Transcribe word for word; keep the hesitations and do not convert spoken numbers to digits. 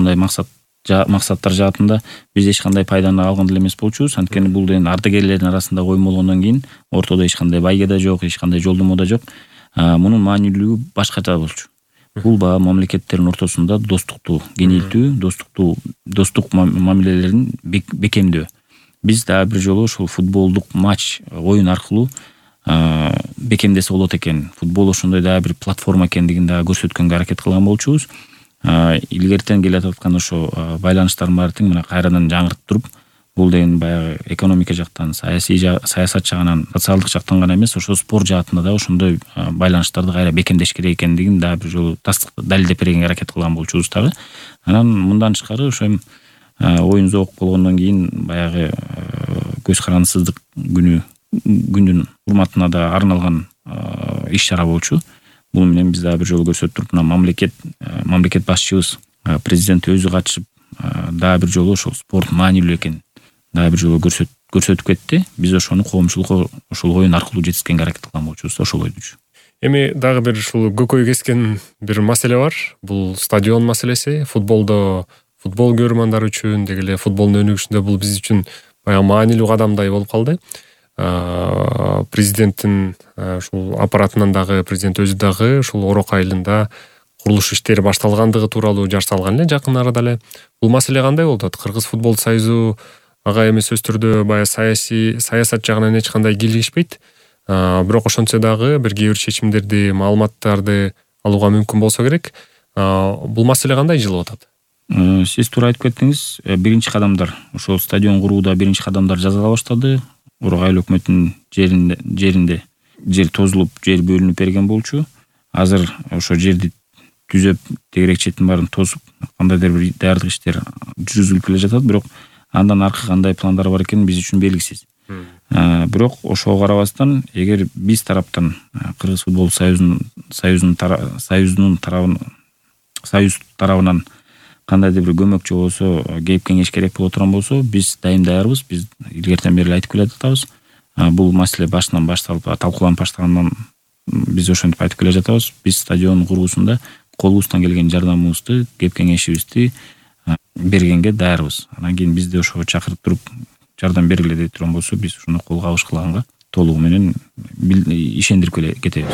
ушундай максат максаттар жаатында биз эч кандай пайданы алган деле эмес болчубуз. Анткени бул деген ардагерлердин арасында коюм болгондон кийин ортодо эч кандай байге да жок, эч кандай жолдомо да жок. Мунун маанилүүлүгү башкача болчу. Бул баягы мамлекеттердин ортосунда достукту кеңейтүү, достукту достук мамилелерин бекемдөө. Биз дагы бир жолу ушул футболдук матч, оюн аркылуу бекемдесе болот экен. Футбол ошондой дагы бир платформа экендигин дагы көрсөткөнгө аракет кылган болчубуз. Илгертен келе аткан ошо байланыштардын баары тең мына кайрадан жаңыртып, бул деген баягы экономика жактан, саясий саясат жагынан, социалдык жактан гана эмес, ошо спорт жаатында да ошондой байланыштарды кайра бекемдеш керек экендигин дагы бир жолу далилдеп бергенге аракет кылган болчубуз дагы. Анан мындан тышкары ошо эми оюн зоок болгондон кийин баягы көз карандысыздык күнү күндүн урматына да арналган иш-чара болчу. Бул менен биз дагы бир жолу көрсөтүп, мына мамлекет мамлекет башчыбыз, президент өзү катышып дагы бир жолу ошол спорт маанилүү экенин дагы бир жолу көрсөтүп кетти. Биз ошону коомчулукка ошол оюн аркылуу жеткизгенге аракет кылган болчубуз, ошол ойдучу. Эми дагы бир ушул көкөй кескен бир маселе бар. Бул стадион маселеси. Футболдо футбол көрөрмандар үчүн, деги эле футболдун өнүгүшүндө бул биз үчүн баягы маанилүү кадамдай болуп калды. Президенттин ушул аппаратынан дагы, президент өзү дагы ушул орок айылында курулуш иштери башталгандыгы тууралуу жар салган эле жакын арада эле. Бул маселе кандай болуп атат? Кыргыз футбол союзу ага эми сөзсүз түрдө баягы саясий саясат жагынан эч кандай кийлигишпейт. Бирок ошончо дагы бир кээ бир чечимдерди, маалыматтарды алууга мүмкүн болсо керек. Бул маселе кандай жылып атат? Сиз туура айтып кеттиңиз. Биринчи кадамдар, ошол стадион курууда биринчи кадамдар жасала баштады. Орок айыл өкмөтүнүн жеринде жеринде жер тозулуп, жер бөлүнүп берген болчу. Азыр ошо жерди түзөп, тегерек четин баарын тосуп, кандайдыр бир даярдык иштер жүргүзүлүп келе жатат, бирок андан аркы кандай пландар бар экени биз үчүн белгисиз. Бирок ошого карабастан, эгер биз тараптан Кыргыз футбол союзунун союзунун союзунун тарабынан союз тарабынан кандайдыр бир көмөк же болбосо кеп кеңеш керек боло турган болсо, биз дайым даярбыз. Биз илгертен бери айтып келе жатабыз. Бул маселе башынан башталып талкууланып баштагандан биз ошентип айтып келе жатабыз. Биз стадион куруусунда колубуздан келген жардамыбызды, кеп кеңешибизди бергенге даярбыз. Анан кийин бизди ошого чакырып туруп жардам бергиле деп турган болсо, биз ошону кол кабыш кылганга толугу менен ишендирип кетебиз.